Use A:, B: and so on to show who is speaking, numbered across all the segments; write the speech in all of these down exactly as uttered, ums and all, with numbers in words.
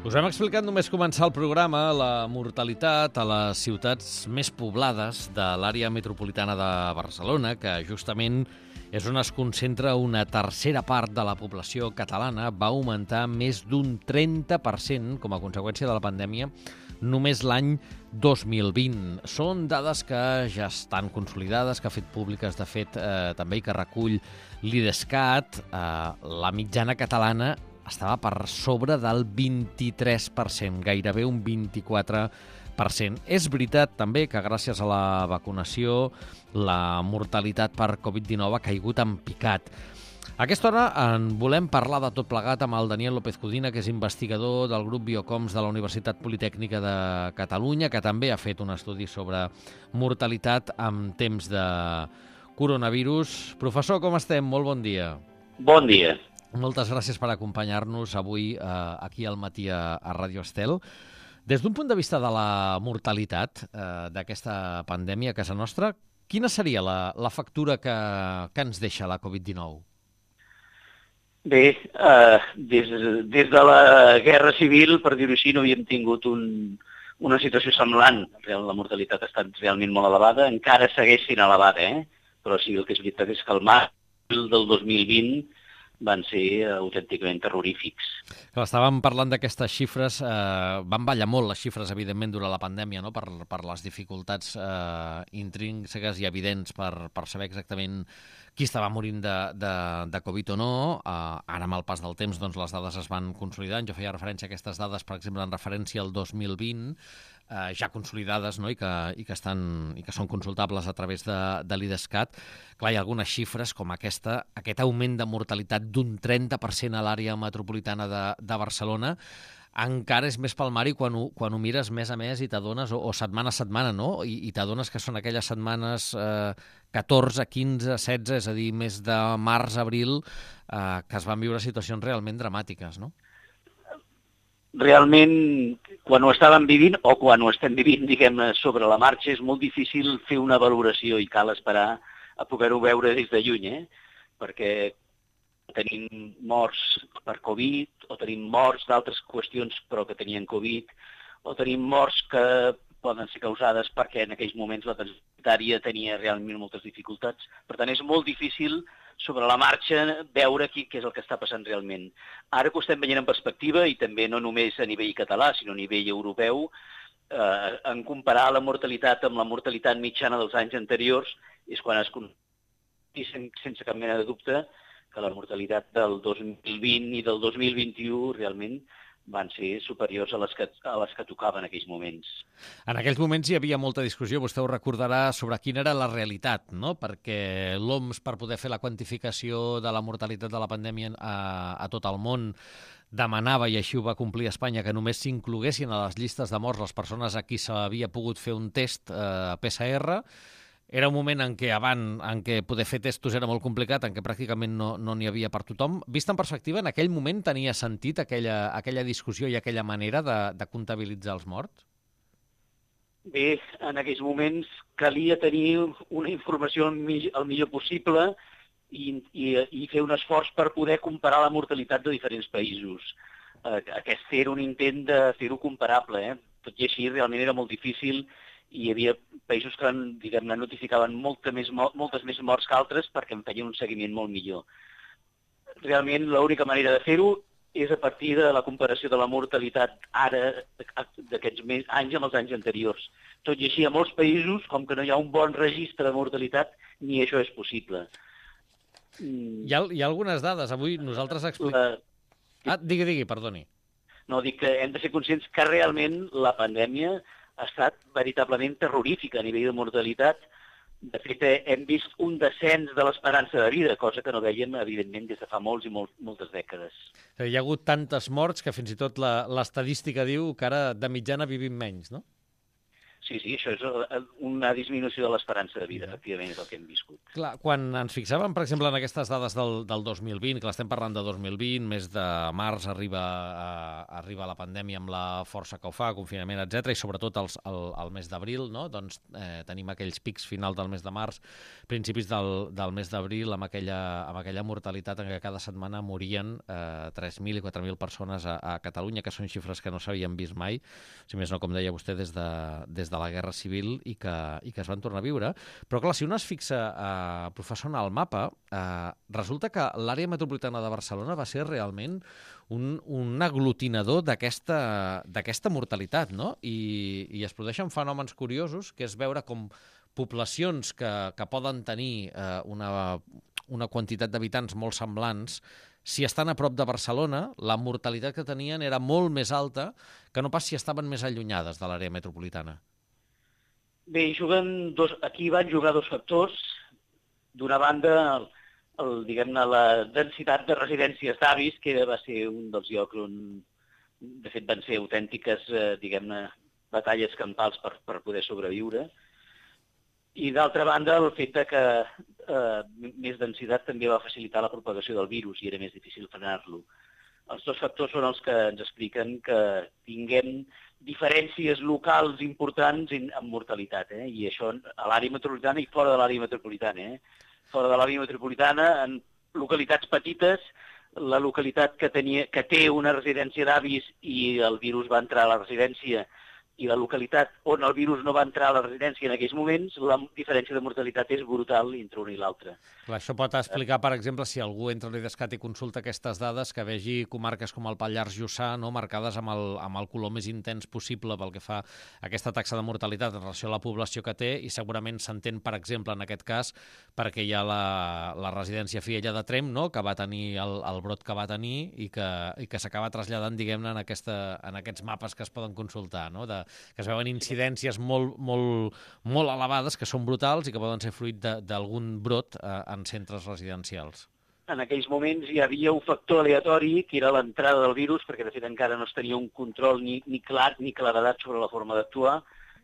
A: Us hem explicat només començar el programa la mortalitat a les ciutats més poblades de l'àrea metropolitana de Barcelona, que justament és on es concentra una tercera part de la població catalana, va augmentar més d'un trenta per cent com a conseqüència de la pandèmia només l'any dos mil vint. Són dades que ja estan consolidades, que ha fet públiques, de fet, eh, també, i que recull l'Idescat. Eh, la mitjana catalana estava per sobre del vint-i-tres per cent, gairebé un vint-i-quatre per cent. És veritat també que gràcies a la vacunació la mortalitat per covid dinou ha caigut en picat. A aquesta hora en volem parlar de tot plegat amb el Daniel López Codina, que és investigador del grup Biocoms de la Universitat Politècnica de Catalunya, que també ha fet un estudi sobre mortalitat en temps de coronavirus. Professor, com estem? Molt bon dia.
B: Bon dia.
A: Moltes gràcies per acompanyar-nos avui eh, aquí al matí a, a Ràdio Estel. Des d'un punt de vista de la mortalitat eh, d'aquesta pandèmia a casa nostra, quina seria la, la factura que, que ens deixa la covid dinou?
B: Bé, eh, des, des de la Guerra Civil, per dir-ho així, no havíem tingut un, una situació semblant. La mortalitat ha estat realment molt elevada, encara segueix sent elevada, eh? Però sí, el que és veritat és que el març del dos mil vint van ser autènticament terrorífics.
A: Clar, estàvem parlant d'aquestes xifres, eh, van ballar molt les xifres, evidentment, durant la pandèmia, no? per, per les dificultats eh, intrínseques i evidents per, per saber exactament qui estava morint de, de, de Covid o no. Eh, ara, amb el pas del temps, doncs, les dades es van consolidant. Jo feia referència a aquestes dades, per exemple, en referència al dos mil vint, eh, ja consolidades, no? I, que, i, que estan, i que són consultables a través de, de l'Idescat. Clar, hi ha algunes xifres com aquesta, aquest augment de mortalitat d'un trenta per cent a l'àrea metropolitana de, de Barcelona, encara és més palmari quan ho, quan ho mires mes a mes i t'adones, o, o setmana a setmana, no? I, i t'adones que són aquelles setmanes eh, catorze, quinze, setze, és a dir, més de març, abril, eh, que es van viure situacions realment dramàtiques, no?
B: Realment, quan ho estàvem vivint, o quan ho estem vivint, diguem-ne, sobre la marxa, és molt difícil fer una valoració i cal esperar a poder-ho veure des de lluny, eh? Perquè tenim morts per Covid, o tenim morts d'altres qüestions però que tenien Covid, o tenim morts que poden ser causades perquè en aquells moments la sanitària tenia realment moltes dificultats. Per tant, és molt difícil sobre la marxa veure qui, què és el que està passant realment. Ara que ho estem veient en perspectiva, i també no només a nivell català, sinó a nivell europeu, eh, en comparar la mortalitat amb la mortalitat mitjana dels anys anteriors, és quan es coneix sense cap mena de dubte que la mortalitat del dos mil vint i del dos mil vint-i-u realment van ser superiors a les que, a les que tocaven en aquells moments.
A: En aquells moments hi havia molta discussió, vostè ho recordarà, sobre quina era la realitat, no? Perquè l'O M S, per poder fer la quantificació de la mortalitat de la pandèmia a, a tot el món, demanava, i així ho va complir Espanya, que només s'incloguessin a les llistes de morts les persones a qui s'havia pogut fer un test eh, P C R. Era un moment en què abans, en què poder fer testos era molt complicat, en què pràcticament no no n'hi havia per tothom. Vist en perspectiva, en aquell moment tenia sentit aquella, aquella discussió i aquella manera de, de comptabilitzar els morts?
B: Bé, en aquells moments calia tenir una informació el millor, el millor possible i, i, i fer un esforç per poder comparar la mortalitat de diferents països. Aquest era un intent de fer-ho comparable, eh? Tot i així, realment era molt difícil. I hi havia països que, diguem-ne, notificaven molta més, moltes més morts que altres perquè en feien un seguiment molt millor. Realment, l'única manera de fer-ho és a partir de la comparació de la mortalitat ara d'aquests anys amb els anys anteriors. Tot i així, a molts països, com que no hi ha un bon registre de mortalitat, ni això és possible.
A: Hi ha, hi ha algunes dades. Avui nosaltres expliquem... La... Ah, digui, digui, perdoni.
B: No, dic que hem de ser conscients que realment la pandèmia ha estat veritablement terrorífica a nivell de mortalitat. De fet, hem vist un descens de l'esperança de vida, cosa que no vèiem, evidentment, des de fa molts i molt, moltes dècades.
A: Hi ha hagut tantes morts que fins i tot l'estadística diu que ara de mitjana vivim menys, no?
B: Sí, sí, això és una disminució de l'esperança de vida, efectivament, és el que hem viscut.
A: Clar, quan ens fixàvem, per exemple, en aquestes dades del, del dos mil vint, que l'estem parlant de dos mil vint, mes de març arriba, a, arriba la pandèmia amb la força que ho fa, confinament, etcètera, i sobretot els, el, el mes d'abril, no? Doncs eh, tenim aquells pics final del mes de març, principis del, del mes d'abril, amb, aquella, amb aquella mortalitat en què cada setmana morien eh, tres mil i quatre mil persones a, a Catalunya, que són xifres que no s'havien vist mai, si més no, com deia vostè, des de, des de de la Guerra Civil i que, i que es van tornar a viure. Però, clar, si un es fixa, eh, professor, en el mapa, eh, resulta que l'àrea metropolitana de Barcelona va ser realment un, un aglutinador d'aquesta mortalitat, no? I, i es produeixen fenòmens curiosos, que és veure com poblacions que, que poden tenir eh, una, una quantitat d'habitants molt semblants, si estan a prop de Barcelona, la mortalitat que tenien era molt més alta que no pas si estaven més allunyades de l'àrea metropolitana.
B: Bé, juguen dos, aquí van jugar dos factors. D'una banda, el, el, diguem-ne, la densitat de residències d'avis, que va ser un dels llocs on, de fet, van ser autèntiques, eh, diguem-ne, batalles campals per, per poder sobreviure. I, d'altra banda, el fet de que eh, més densitat també va facilitar la propagació del virus i era més difícil frenar-lo. Els dos factors són els que ens expliquen que tinguem diferències locals importants en, en mortalitat, eh? I això a l'àrea metropolitana i fora de l'àrea metropolitana. Eh? Fora de l'àrea metropolitana, en localitats petites, la localitat que, tenia, que té una residència d'avis i el virus va entrar a la residència i la localitat on el virus no va entrar a la residència en aquells moments, la diferència de mortalitat és brutal entre una i l'altra.
A: Això pot explicar, per exemple, si algú entra a l'IDESCAT i consulta aquestes dades, que vegi comarques com el Pallars Jussà, no, marcades amb el, amb el color més intens possible pel que fa a aquesta taxa de mortalitat en relació a la població que té, i segurament s'entén, per exemple, en aquest cas, perquè hi ha la, la residència Fiella de Tremp, no?, que va tenir el, el brot que va tenir i que, i que s'acaba traslladant, diguem-ne, en, aquesta, en aquests mapes que es poden consultar, no?, de que es veuen incidències molt, molt, molt elevades, que són brutals i que poden ser fruit d'algun brot eh, en centres residencials.
B: En aquells moments hi havia un factor aleatori, que era l'entrada del virus, perquè de fet encara no es tenia un control ni, ni clar ni claredat sobre la forma d'actuar,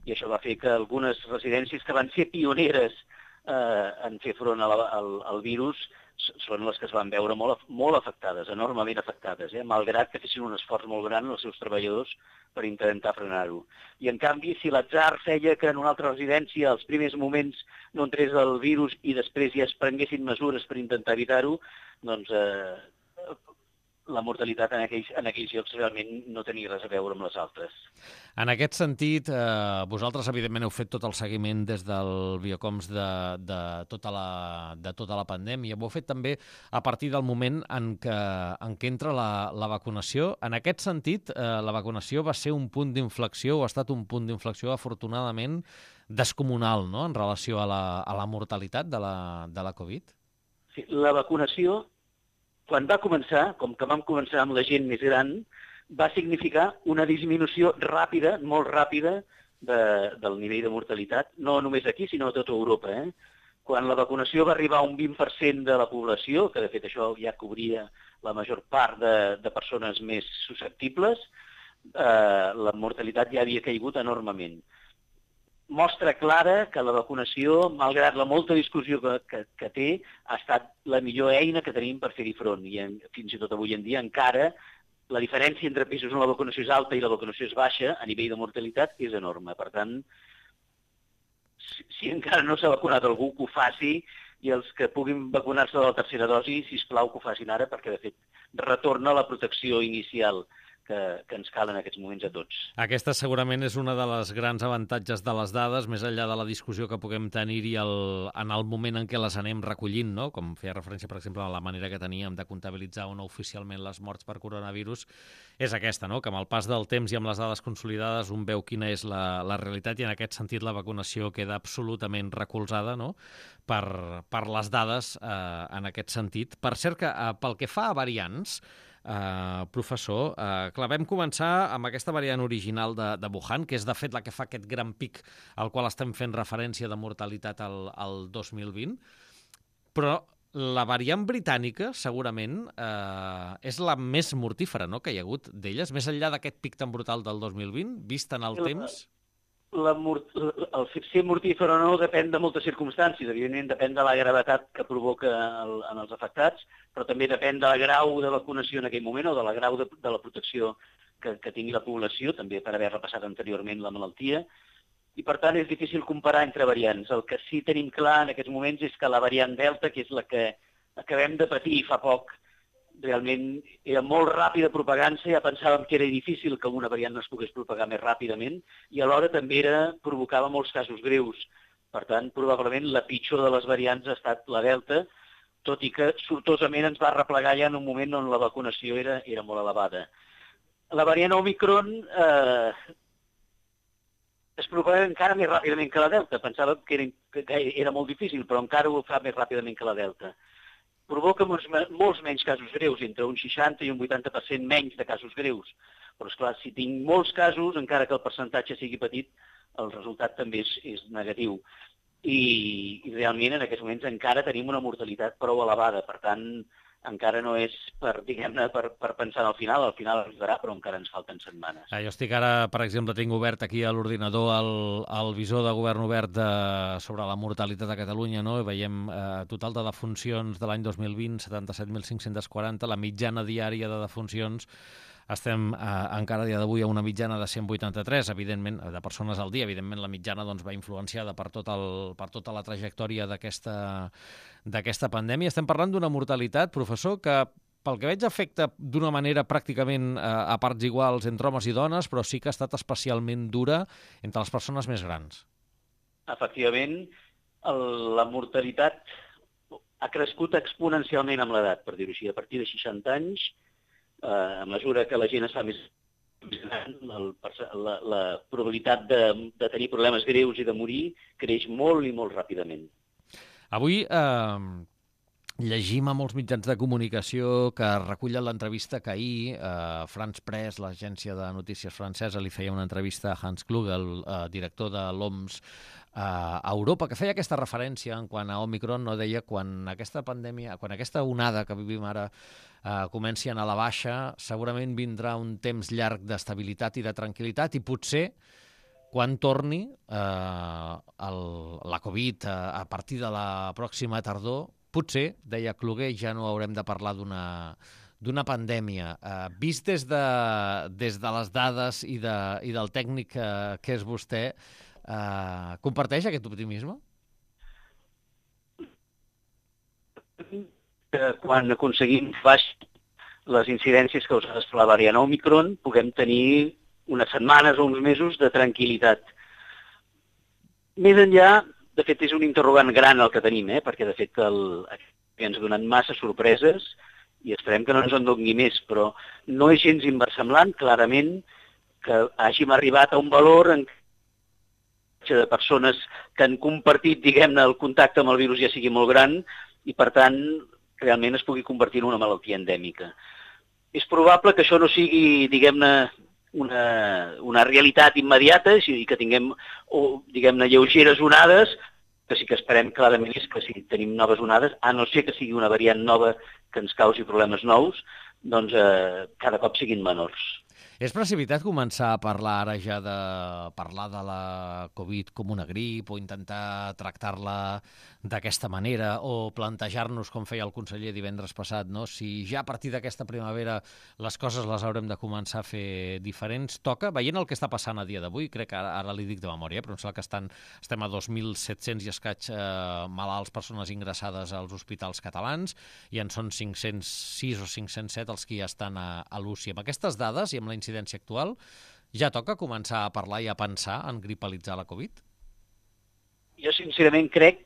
B: i això va fer que algunes residències que van ser pioneres eh, en fer front a la, al, al virus són les que es van veure molt, molt afectades, enormement afectades, eh? Malgrat que fessin un esforç molt gran els seus treballadors per intentar frenar-ho. I, en canvi, si l'atzar feia que en una altra residència als primers moments no entrés el virus i després ja es prenguessin mesures per intentar evitar-ho, doncs eh, la mortalitat en aquells, en aquells llocs realment no tenia res a veure amb les altres.
A: En aquest sentit, eh, vosaltres evidentment heu fet tot el seguiment des del Biocoms de, de, tota la, de tota la pandèmia. Ho heu fet també a partir del moment en què, en què entra la, la vacunació. En aquest sentit, eh, la vacunació va ser un punt d'inflexió, o ha estat un punt d'inflexió, afortunadament, descomunal, no?, en relació a la, a la mortalitat de la, de la Covid.
B: Sí, la vacunació, quan va començar, com que vam començar amb la gent més gran, va significar una disminució ràpida, molt ràpida, de, del nivell de mortalitat, no només aquí, sinó a tota Europa. Eh? Quan la vacunació va arribar a un vint per cent de la població, que de fet això ja cobria la major part de, de persones més susceptibles, eh, la mortalitat ja havia caigut enormement. Mostra clara que la vacunació, malgrat la molta discussió que, que, que té, ha estat la millor eina que tenim per fer-hi front. I en, fins i tot avui en dia encara la diferència entre països on la vacunació és alta i la vacunació és baixa a nivell de mortalitat és enorme. Per tant, si, si encara no s'ha vacunat algú, que ho faci, i els que puguin vacunar-se de la tercera dosi, sisplau que ho facin ara, perquè de fet retorna la protecció inicial que, que ens cal en aquests moments a tots.
A: Aquesta segurament és una de les grans avantatges de les dades, més enllà de la discussió que puguem tenir-hi en el moment en què les anem recollint, no? Com feia referència, per exemple, a la manera que teníem de comptabilitzar o no oficialment les morts per coronavirus, és aquesta, no? Que amb el pas del temps i amb les dades consolidades un veu quina és la, la realitat, i en aquest sentit la vacunació queda absolutament recolzada, no?, per, per les dades eh, en aquest sentit. Per cert que eh, pel que fa a variants, Uh, professor, uh, clar, vam començar amb aquesta variant original de, de Wuhan, que és de fet la que fa aquest gran pic al qual estem fent referència de mortalitat al, al dos mil vint, però la variant britànica segurament uh, és la més mortífera, no?, que hi ha hagut d'elles, més enllà d'aquest pic tan brutal del dos mil vint, vist en el
B: la,
A: temps.
B: La, el ser mortífer o no depèn de moltes circumstàncies. Evidentment, depèn de la gravetat que provoca el, en els afectats, però també depèn del grau de vacunació en aquell moment o de la grau de, de la protecció que, que tingui la població, també per haver repassat anteriorment la malaltia. I, per tant, és difícil comparar entre variants. El que sí tenim clar en aquests moments és que la variant Delta, que és la que acabem de patir fa poc, realment era molt ràpida propagant-se, ja pensàvem que era difícil que una variant no es pogués propagar més ràpidament i alhora també era, provocava molts casos greus. Per tant, probablement la pitjor de les variants ha estat la Delta, tot i que sortosament ens va replegar ja en un moment on la vacunació era, era molt elevada. La variant Omicron eh, es propaga encara més ràpidament que la Delta. Pensàvem que era, que era molt difícil, però encara ho fa més ràpidament que la Delta. Provoca molts, molts menys casos greus, entre un seixanta i un vuitanta per cent menys de casos greus. Però, esclar, si tinc molts casos, encara que el percentatge sigui petit, el resultat també és, és negatiu. I, I realment en aquests moments encara tenim una mortalitat prou elevada. Per tant, encara no és per, diguem-ne, per, per pensar al final, al final arribarà, però encara ens falten setmanes.
A: Ah, jo estic ara, per exemple, tinc obert aquí a l'ordinador el, el visor de govern obert de, sobre la mortalitat a Catalunya, no? I veiem eh, total de defuncions de l'any dos mil vint, setanta-set mil cinc-cents quaranta, la mitjana diària de defuncions estem eh, encara a dia d'avui a una mitjana de cent vuitanta-tres, evidentment, de persones al dia. Evidentment, la mitjana doncs, va influenciada per, tot el, per tota la trajectòria d'aquesta d'aquesta pandèmia. Estem parlant d'una mortalitat, professor, que pel que veig afecta d'una manera pràcticament eh, a parts iguals entre homes i dones, però sí que ha estat especialment dura entre les persones més grans.
B: Efectivament, el, la mortalitat ha crescut exponencialment amb l'edat, per dir-ho així. A partir de seixanta anys, eh, a mesura que la gent es fa més gran, el, la, la probabilitat de, de tenir problemes greus i de morir creix molt i molt ràpidament.
A: Avui eh, llegim a molts mitjans de comunicació que recullen l'entrevista que ahir eh, France Press, l'agència de notícies francesa, li feia una entrevista a Hans Kluge, el eh, director de l'O M S eh, a Europa, que feia aquesta referència en quant a Omicron, no deia quan aquesta pandèmia, quan aquesta onada que vivim ara eh, comenci a anar a la baixa, segurament vindrà un temps llarg d'estabilitat i de tranquil·litat i potser quan torni eh, el, la Covid eh, a partir de la pròxima tardor, potser, deia Kluge, ja no haurem de parlar d'una d'una pandèmia. Eh, vist des de, des de les dades i, de, i del tècnic que, que és vostè, eh, comparteix aquest optimisme?
B: Que quan aconseguim baixar les incidències causades per la variant Omicron, puguem tenir unes setmanes o uns mesos de tranquil·litat. Més enllà, de fet, és un interrogant gran el que tenim, eh? Perquè, de fet, el, ens ha donat massa sorpreses i esperem que no ens en doni més, però no és gens inversemblant, clarament, que hàgim arribat a un valor en de persones que han compartit, diguem-ne, el contacte amb el virus ja sigui molt gran i, per tant, realment es pugui convertir en una malaltia endèmica. És probable que això no sigui, diguem-ne, Una, una realitat immediata i que tinguem, o, diguem-ne, lleugeres onades, que sí que esperem clarament és que si tenim noves onades, a no ser que sigui una variant nova que ens causi problemes nous, doncs eh, cada cop siguin menors.
A: És precipitat començar a parlar ara ja de parlar de la Covid com una grip o intentar tractar-la d'aquesta manera o plantejar-nos, com feia el conseller divendres passat, no? Si ja a partir d'aquesta primavera les coses les haurem de començar a fer diferents, toca, veient el que està passant a dia d'avui, crec que ara, ara li dic de memòria, però em sembla que estan, estem a dos mil set-cents i escaig eh, malalts, persones ingressades als hospitals catalans, i en són cinc-cents sis o cinc-cents set els que ja estan a, a l'U C I. Amb aquestes dades i amb la incidència actual, ja toca començar a parlar i a pensar en gripalitzar la Covid?
B: Jo sincerament crec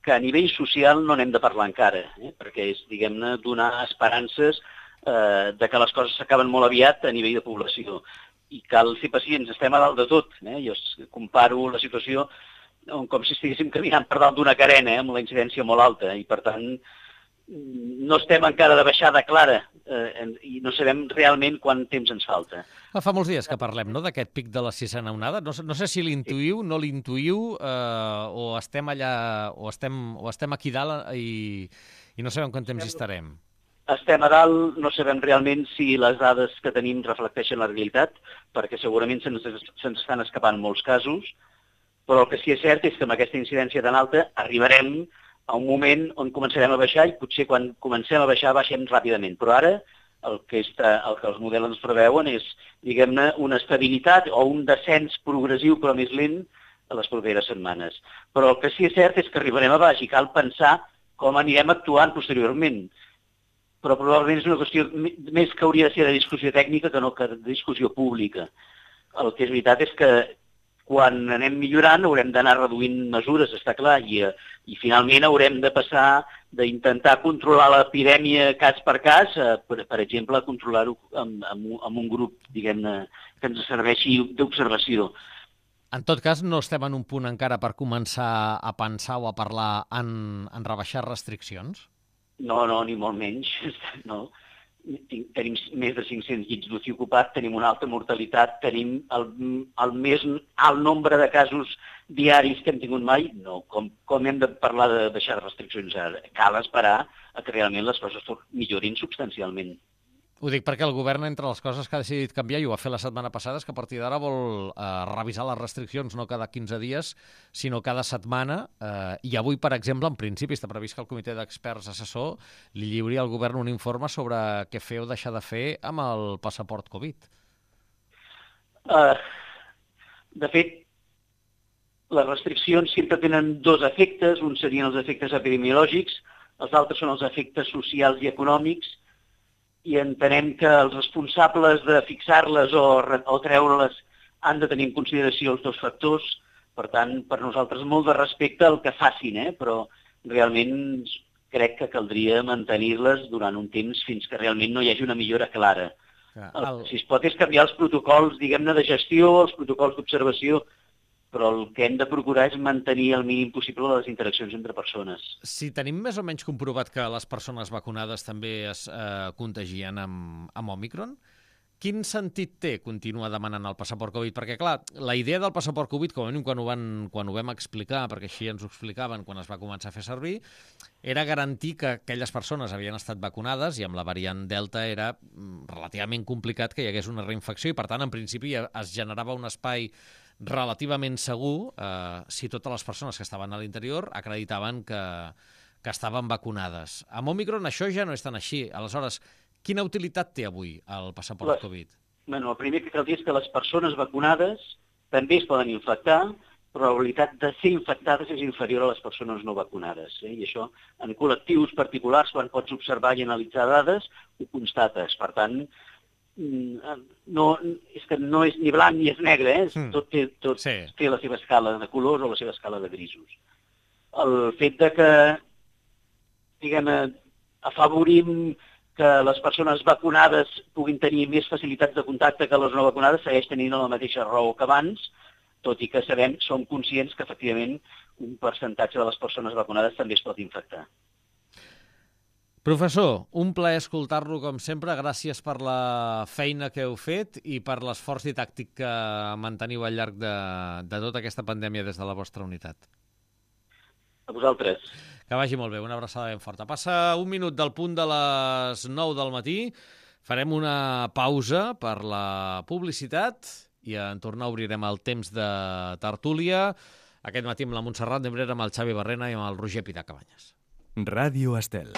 B: que a nivell social no n'hem de parlar encara, eh? Perquè és, diguem-ne, donar esperances eh, de que les coses s'acaben molt aviat a nivell de població. I cal ser pacients, estem a dalt de tot. Eh? Jo comparo la situació com si estiguéssim caminant per dalt d'una carena, eh? Amb la incidència molt alta, i per tant no estem encara de baixada clara eh, i no sabem realment quant temps ens falta.
A: Fa molts dies que parlem, no?, d'aquest pic de la sisena onada. No, no sé si l'intuïu, no l'intuïu, eh, o estem allà, o estem, o estem aquí dalt i, i no sabem quant temps hi estarem.
B: estem a dalt, no sabem realment si les dades que tenim reflecteixen la realitat, perquè segurament se'ns se estan escapant molts casos, però el que sí que és cert és que amb aquesta incidència tan alta arribarem a un moment on començarem a baixar i potser quan comencem a baixar baixem ràpidament. Però ara el que, està, el que els models ens preveuen és, diguem-ne, una estabilitat o un descens progressiu però més lent a les properes setmanes. Però el que sí que és cert és que arribarem a baix i cal pensar com anirem actuant posteriorment. Però probablement és una qüestió més que hauria de ser de discussió tècnica que no que de discussió pública. El que és veritat és que quan anem millorant haurem d'anar reduint mesures, està clar, i, i finalment haurem de passar d'intentar controlar l'epidèmia cas per cas, a, per, per exemple, a controlar-ho amb, amb, amb un grup, diguem-ne, que ens serveixi d'observació.
A: En tot cas, no estem en un punt encara per començar a pensar o a parlar en, en rebaixar restriccions?
B: No, no, ni molt menys. No. Tenim més de cinc-cents llits d'U C I ocupat, tenim una alta mortalitat, tenim el, el més alt nombre de casos diaris que hem tingut mai. No, com, com hem de parlar de deixar restriccions ara? Cal esperar a que realment les coses millorin substancialment.
A: Ho dic perquè el govern, entre les coses que ha decidit canviar, i ho va fer la setmana passada, és que a partir d'ara vol eh, revisar les restriccions no cada quinze dies, sinó cada setmana. Eh, I avui, per exemple, en principi, està previst que el comitè d'experts assessor li lliuri al govern un informe sobre què fer o deixar de fer amb el passaport Covid.
B: Uh, de fet, les restriccions sempre tenen dos efectes. Un serien els efectes epidemiològics, els altres són els efectes socials i econòmics, i entenem que els responsables de fixar-les o, o treure-les han de tenir en consideració els dos factors. Per tant, per nosaltres molt de respecte al que facin, eh? Però realment crec que caldria mantenir-les durant un temps fins que realment no hi hagi una millora clara. El... El, si es pot és canviar els protocols, diguem-ne, de gestió, els protocols d'observació, però el que hem de procurar és mantenir el mínim possible les interaccions entre persones.
A: Si tenim més o menys comprovat que les persones vacunades també es eh, contagien amb, amb Òmicron, quin sentit té continuar demanant el passaport Covid? Perquè, clar, la idea del passaport Covid, com a mínim quan ho, van, quan ho vam explicar, perquè així ens ho explicaven quan es va començar a fer servir, era garantir que aquelles persones havien estat vacunades i amb la variant Delta era relativament complicat que hi hagués una reinfecció i, per tant, en principi es generava un espai relativament segur eh, si totes les persones que estaven a l'interior acreditaven que, que estaven vacunades. Amb Òmicron això ja no és tan així. Aleshores, quina utilitat té avui el passaport les, Covid?
B: Bueno, el primer que cal dir és que les persones vacunades també es poden infectar, però la probabilitat de ser infectades és inferior a les persones no vacunades. Eh? I això, en col·lectius particulars, quan pots observar i analitzar dades, ho constates. Per tant, no, és que no és ni blanc ni és negre, eh? Mm. Tot, té, tot sí. té la seva escala de colors o la seva escala de grisos. El fet de que, diguem, afavorim que les persones vacunades puguin tenir més facilitats de contacte que les no vacunades segueix tenint la mateixa raó que abans, tot i que sabem, som conscients que efectivament un percentatge de les persones vacunades també es pot infectar.
A: Professor, un plaer escoltar-lo com sempre. Gràcies per la feina que heu fet i per l'esforç didàctic que manteniu al llarg de, de tota aquesta pandèmia des de la vostra unitat.
B: A vosaltres.
A: Que vagi molt bé, una abraçada ben forta. Passa un minut del punt de les nou del matí. Farem una pausa per la publicitat i en tornar obrirem el temps de tertúlia. Aquest matí amb la Montserrat Nebrera, amb el Xavi Barrena i amb el Roger Pitar Cabanyes.
C: Ràdio Estel.